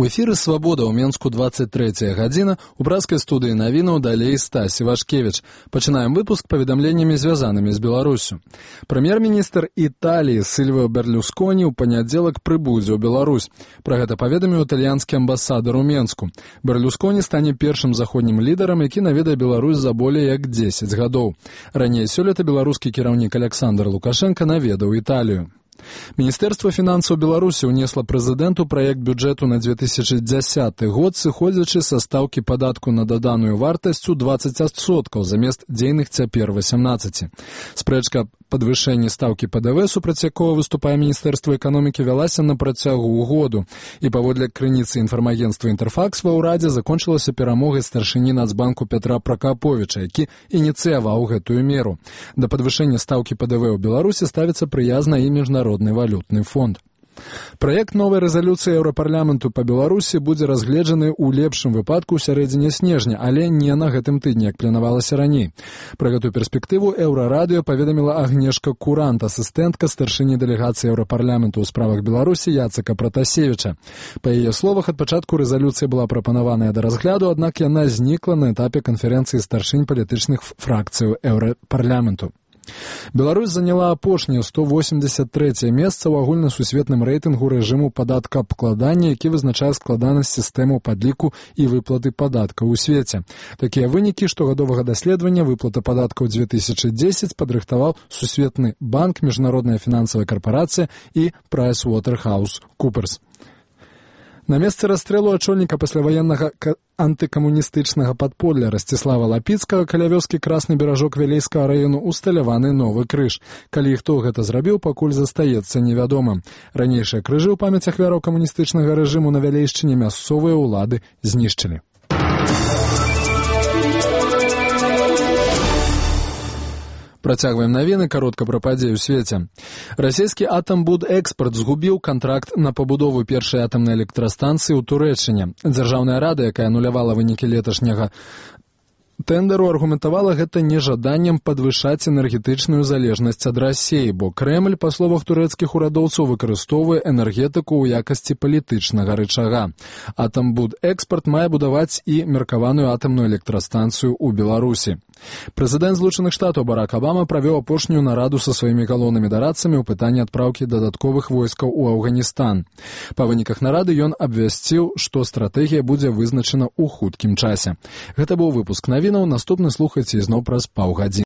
У эфіры «Свабода» ў Менску 23 гадзіна, у брацкай студыі навінаў далей Стась Івашкевіч. Пачынаем выпуск паведамленнямі, звязанымі з Беларуссю. Прэм'ер-міністр Італіі Сільвіо Берлюсконі ў панядзелак прыбудзе ў Беларусь. Пра гэта паведаміў італьянскі амбасадар у Менску. Берлюсконі стане першым заходнім лідарам, які наведае Беларусь за болей як 10 гадоў. Раней сёлета беларускі кіраўнік Александр Лукашенко наведаў Італію. Міністэрства фінансаў Беларусі ўнесла прэзідэнту праект бюджэту на 2010 год, сыходзячы са стаўкі падатку на даданую вартасць у 20% замест дзейных цяпер 18%. Спрэчка падвышэнні стаўкі ПДВ, супраць якога выступае Міністэрства эканомікі, вялася на працягу году. І паводле крыніцы інфармагенцтва «Інтэрфакс» ва ўрадзе закончылася перамогай старшыні Нацбанку Петра Пракаповіча, які ініцыяваў гэтую меру. Да падвышэння стаўкі ПДВ ў Беларусі ставіцца прыязна і Міжнародны валютны фонд. Праект новай рэзалюцыі Еўрапарламенту па Беларусі будзе разгледжаны ў лепшым выпадку ў сярэдзіне снежня, але не на гэтым тыдні, як планавалася раней. Пра гэтую перспектыву Еўрарадыё паведаміла Агнешка Курант, асістэнтка старшыні дэлегацыі Еўрапарламенту ў справах Беларусі Яцека Пратасевіча. Па яе словах, ад пачатку рэзалюцыя была прапанаваная да разгляду, аднак яна знікла на этапе канферэнцыі старшынь палітычных фракцыяў Еўрапарламенту. Беларусь заняла апошняе 183 месца ў агульнасусветным рэйтынгу рэжыму падаткаабкладання, які вызначае складанасць сістэмаў падліку і выплаты падаткаў у свеце. Такія вынікі штогадовага даследавання выплата падаткаў 2010 падрыхтаваў Сусветны банк, Міжнародная фінансавая карпарацыя і PricewaterhouseCoopers. На месцы расстрэлу ачольніка пасляваеннага антыкамуністычнага падполля Расціслава Лапіцкага каля вёскі Красны Беражок Вілейскага раёну усталяваны новы крыж. Калі і хто гэта зрабіў, пакуль застаецца невядомым. Ранейшыя крыжы ў памяць ахвяраў камуністычнага рэжыму на Вялейшчыне мясцовыя ўлады знішчылі. Працягваем навіны, каротка пра падзеі ў свеце. Расійскі «Атамбудэкспарт» згубіў кантракт на пабудову першай атамнай электрастанцыі ў Турэччыне. Дзяржаўная рада, якая анулявала вынікі леташняга тэндеру, аргументавала гэта нежаданнем падвышаць энергетычную залежнасць ад Расіі, бо Крэмль, па словах турэцкіх урадоўцаў, выкарыстоўвае энергетыку ў якасці палітычнага рычага. «Атамбудэкспарт» мае будаваць і меркаваную атамную электрастанцыю ў Беларусі. Прэзідэнт Злучаных Штатаў Барак Абама правёў апошнюю нараду са сваімі галоўнымі дарадцамі ў пытанні адпраўкі дадатковых войскаў у Афганістан. Па выніках нарады ён абвясціў, што стратэгія будзе вызначана ў хуткім часе. Гэта быў выпуск навінаў, наступны слухайце ізноў праз паўгадзіны.